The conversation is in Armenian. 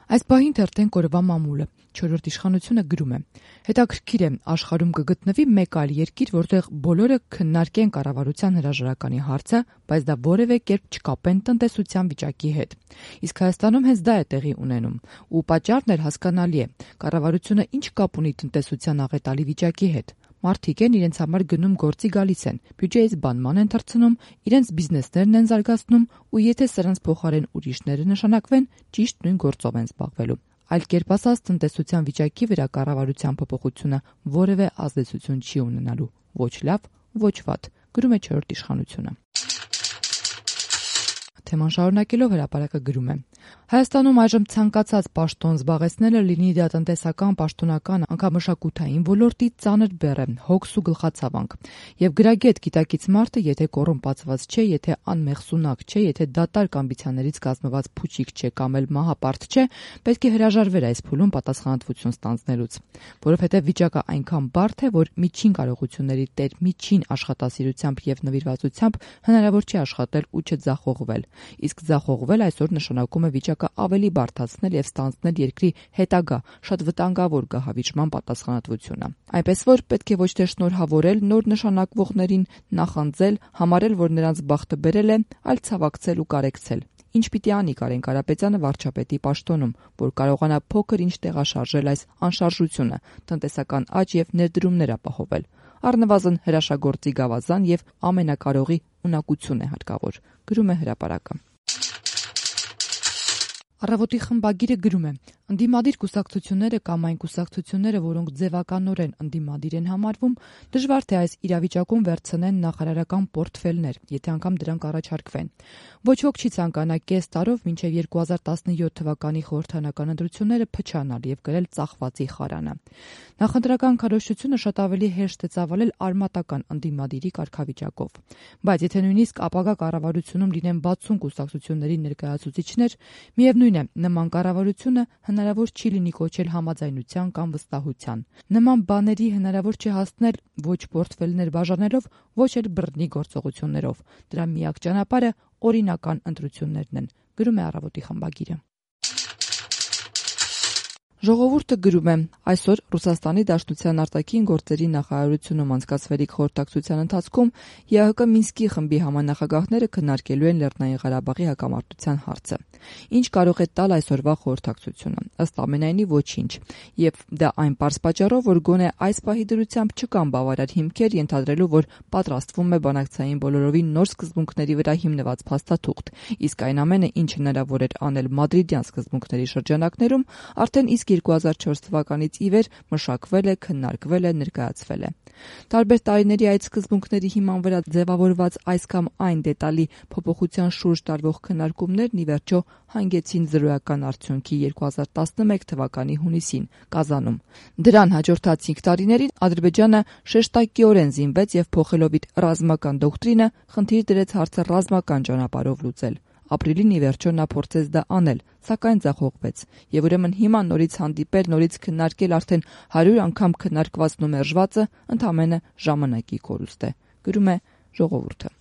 Այս պահին թերթենք օրվա մամուլը, 4-րդ իշխանությունը գրում է. հետաքրքիր է, աշխարհում կգտնվի մեկ այլ երկիր, որտեղ բոլորը քննարկեն կառավարության հրաժարականի հարցը, բայց դա որևէ կերպ չկապեն տնտեսության վիճակի հետ։ Իսկ Հայաստանում հենց դա է տեղի ունենում, ու պատճառն էլ հասկանալի է, կառավարությունը ինչ կապ ունի տնտեսության աղետալի վիճակի հետ։ Մարդիկ են իրենց համար գնում գործի գալիս են, բյուջեից բանման են թռցնում, իրենց բիզնեսներն են զարգացնում ու եթե սրանց փոխարեն ուրիշները նշանակվեն, ճիշտ նույն գործով են զբաղվելու։ Այլ կերպ ասած, տնտեսության վիճակի վրա կառավարության փոփոխությունը որևէ ազդեցություն չի ունենալու, ոչ լավ, ոչ վատ, գրում է 4-րդ իշխանությունը։ Թեման շարունակելով հրապարակը գրում է. Հայաստանում այժմ ցանկացած պաշտոն զբաղեցնելը, լինի դա տնտեսական, պաշտոնական, անգամ մշակութային ոլորտի ծանր բեռ է, հոգս ու գլխացավանք։ Եվ գրագետ գիտակից մարդը, եթե կոռումպացված չէ, եթե անմեղսունակ չէ, եթե դատարկ ամբիցիաներից կազմված փուչիկ չէ կամ էլ մահապարտ չէ, պետք է հրաժարվեր այս փուլում պատասխանատվություն ստանձնելուց։ Որովհետև վիճակը այնքան բարդ է, որ միջին կարողությունների տեր միջին աշխատասիրությամբ եւ նվիրվածությամբ հնարավոր չէ աշխատել ու չձախողվել։ Իսկ ձախողվել այսօր նշանակում է վիճակը ավելի բարդացնել եւ ստանձնել երկրի հետագա շատ վտանգավոր գահավիճման պատասխանատվությունը։ Այնպես որ պետք է ոչ թե շնորհավորել նոր նշանակվողներին, նախանձել, համարել, որ նրանց բախտը բերել է, այլ ցավակցել ու կարեկցել։ Ինչ պիտի անի Կարեն Կարապետյանը վարչապետի պաշտոնում, որ կարողանա փոքր ինչ տեղաշարժել այս անշարժությունը, տնտեսական աճ եւ ներդրումներ ապահովել։ Առնվազն հրաշագործի գավազան եւ ամենակարողի ունակություն է հարկավոր, գրում է հրապարակը։ Առավոտի խմբագիրը գրում է. ընդդիմադիր կուսակցությունները կամ այն կուսակցությունները, որոնք ձևականորեն ընդդիմադիր են համարվում, դժվար թե այս իրավիճակում վերցնեն նախարարական պորտֆելներ, եթե անգամ դրանք առաջարկվեն։ Ոչ ոք չի ցանկանա կես տարով մինչև 2017 թվականի խորհրդարանական ընտրությունները փչանալ եւ գրել ծախվածի խարանը։ Նախընտրական քարոզչությունը շատ ավելի հեշտ է ծավալել արմատական ընդդիմադիրի կարգավիճակով։ Բայց եթե նույնիսկ ապագա կառավարությունում լինեն 60 կուսակցությունների ներկայացուցիչներ, միևնույն է, նման կառավարությունը հնարավոր չի լինի կոչել համաձայնության կամ վստահության։ Նման բաների հնարավոր չէ հասնել ոչ պորտֆելներ բաժանելով, ոչ էլ բռնի գործողություններով։ Դրա միակ ճանապարհը օրինական ընտրություններն են, գրում է Առավոտի խմբագիրը։ Ժողովուրդը գրում է. այսօր Ռուսաստանի Դաշնության արտաքին գործերի նախարարությունում անցկացվելիք խորհրդակցության ընթացքում ԵԱՀԿ Մինսկի խմբի համանախագահները քննարկելու են Լեռնային Ղարաբաղի հակամարտության հարցը։ Ինչ կարող է տալ այսօրվա խորհրդակցությունը։ Ըստ ամենայնի ոչինչ։ Եվ դա այն պարզ պատճառով, որ գոնե այս պահի դրությամբ չկան բավարար հիմքեր ենթադրելու, որ պատրաստվում է բանակցային բոլորովին նոր սկզբունքների վրա հիմնված փաստաթուղթ, իսկ այն ամենը, ինչ հնարավոր էր անել մադրիդյան սկզբունքների շրջանակներում, արդեն իսկ 2004 թվականից ի վեր մշակվել է, քննարկվել է, ներկայացվել է։ Տարբեր տարիների այդ սկզբունքների հիման վրա ձևավորված այս կամ այն դետալի փոփոխության շուրջ տարվող քննարկումներն ի վերջո հանգեցին զրոյական արդյունքի 2011 թվականի հունիսին Կազանում։ Դրան հաջորդած 5 տարիներին Ադրբեջանը շեշտակիորեն զինվեց եւ փոխելով իր ռազմական դոկտրինը, խնդիր դրեց հարցը ռազմական ճանապարհով լուծել։ Ապրիլին ի վերջո նա փորձեց դա անել, սակայն ձախողվեց։ Եվ ուրեմն հիմա նորից հանդիպել, նորից քննարկել արդեն 100 անգամ քննարկվածն ու մերժվածը ընդամենը ժամանակի կորուստ է, գրում է Ժողովուրդը։